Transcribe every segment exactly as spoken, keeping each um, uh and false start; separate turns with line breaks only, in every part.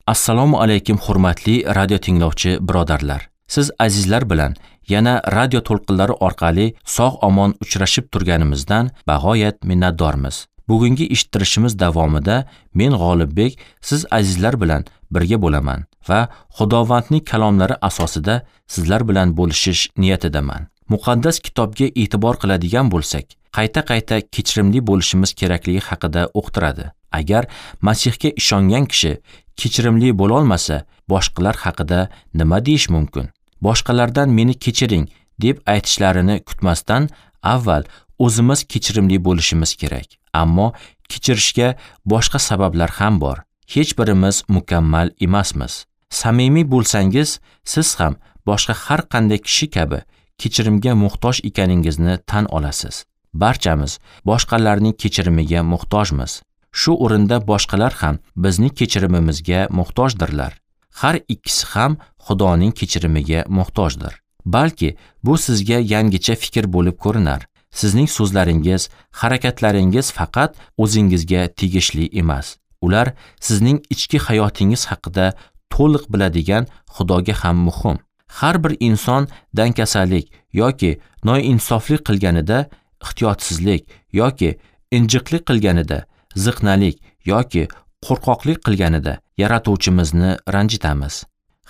Assalomu alaykum hurmatli radio tinglovchi birodarlar. Siz azizlar bilan yana radio to'lqinlari orqali sog' omon uchrashib turganimizdan bag'oyat minnatdormiz. Bugungi eshittirishimiz davomida men G'olibbek siz azizlar bilan birga bo'laman va Xudovandning kalomlari asosida sizlar bilan bo'lishish niyatidaman. Muqaddas kitobga e'tibor qiladigan bo'lsak, qayta-qayta kechirimli bo'lishimiz kerakligi haqida o'qitiradi. Agar Masihga ishongan kishi kechirimli bo'la olmasa, boshqalar haqida nima deyish mumkin? Boshqalardan meni kechiring deb aytishlarini kutmasdan avval o'zimiz kechirimli bo'lishimiz kerak. Ammo kechirishga boshqa sabablar ham bor. Hech birimiz mukammal emasmiz. Samimiy bo'lsangiz, siz ham boshqa har qanday kishi kabi kechirimga muhtoj ekaningizni tan olasiz. Barchamiz boshqalarning kechirimiga muhtojmiz. Shu o'rinda boshqalar ham bizning kechirimimizga muhtojdirlar. Har ikkisi ham Xudoning kechirimiga muhtojdir. Balki bu sizga yangicha fikr bo'lib ko'rinar. Sizning so'zlaringiz, harakatlaringiz faqat o'zingizga tegishli emas. Ular sizning ichki hayotingiz haqida to'liq biladigan Xudoga ham muhim. Har bir inson dangasalik yoki noinsoflik qilganida, ehtiyotsizlik yoki injiqlik qilganida, ziqnalik yoki qo'rqoqlik qilganida yaratuvchimizni ranjitamiz.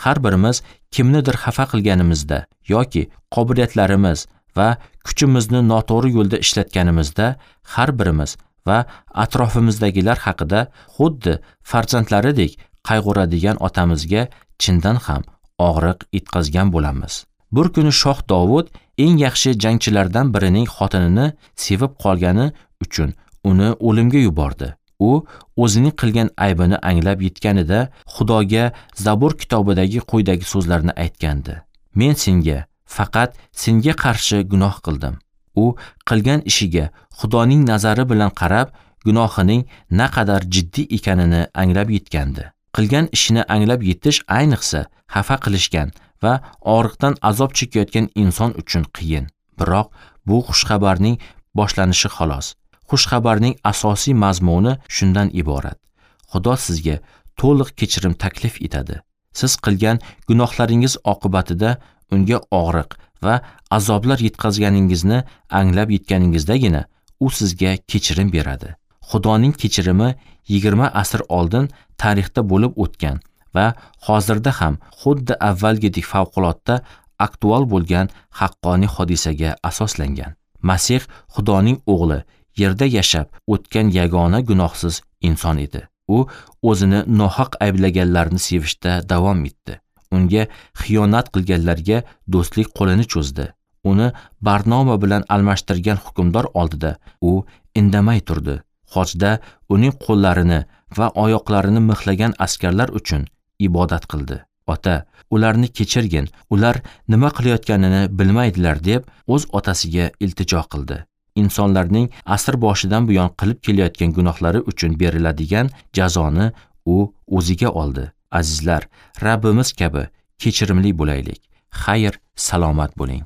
Har birimiz kimnidir xafa qilganimizda yoki qobiliyatlarimiz va kuchimizni noto'g'ri yo'lda ishlatganimizda har birimiz va atrofimizdagilar haqida xuddi farzandlaridek qayg'uradigan otamizga chindan ham og'riq yetkazgan bo'lamiz. Bir kuni shoh Dovud eng yaxshi jangchilardan birining xotinini sevib qolgani uchun uni o'limga yubordi. U o'zining qilgan aybini anglab yetganida Xudoga Zabur kitobidagi quyidagi so'zlarni aytgandi: Men senga, faqat senga qarshi gunoh qildim. U qilgan ishiga Xudoning nazari bilan qarab, gunohining naqadar jiddiy ekanini anglab yetgandi. Qilgan ishini anglab yetish ayniqsa xafa qilishgan va og'riqdan azob chekayotgan inson uchun qiyin. Biroq bu xushxabarning boshlanishi xolos. Xushxabarning asosiy mazmuni shundan iborat. Xudo sizga to'liq kechirim taklif etadi. Siz qilgan gunohlaringiz oqibatida unga og'riq va azoblar yetkazganingizni anglab yetganingizdagina u sizga kechirim beradi. Xudoning kechirimi yigirma asr oldin tarixda bo'lib o'tgan va hozirda ham xuddi avvalgidek favqulodda aktual bo'lgan haqqoniy hodisaga asoslangan. Masih Xudoning o'g'li, yerda yashab o'tgan yagona gunohsiz inson edi. U o'zini nohaq ayblaganlarni sevishda davom etdi. Unga xiyonat qilganlarga do'stlik qo'lini cho'zdi. Uni Barnoma bilan almashtirgan hukmdor oldida u indamay turdi. Xochda uning qo'llarini va oyoqlarini mixlagan askarlar uchun ibodat qildi. Ota, ularni kechirgin, ular nima qilayotganini bilmaydilar deb o'z otasiga iltijo qildi. Insonlarning asr boshidan buyon qilib kelayotgan gunohlari uchun beriladigan jazoni u o'ziga oldi. Azizlar, Rabbimiz kabi kechirimli bo'laylik. Xayr, salomat bo'ling.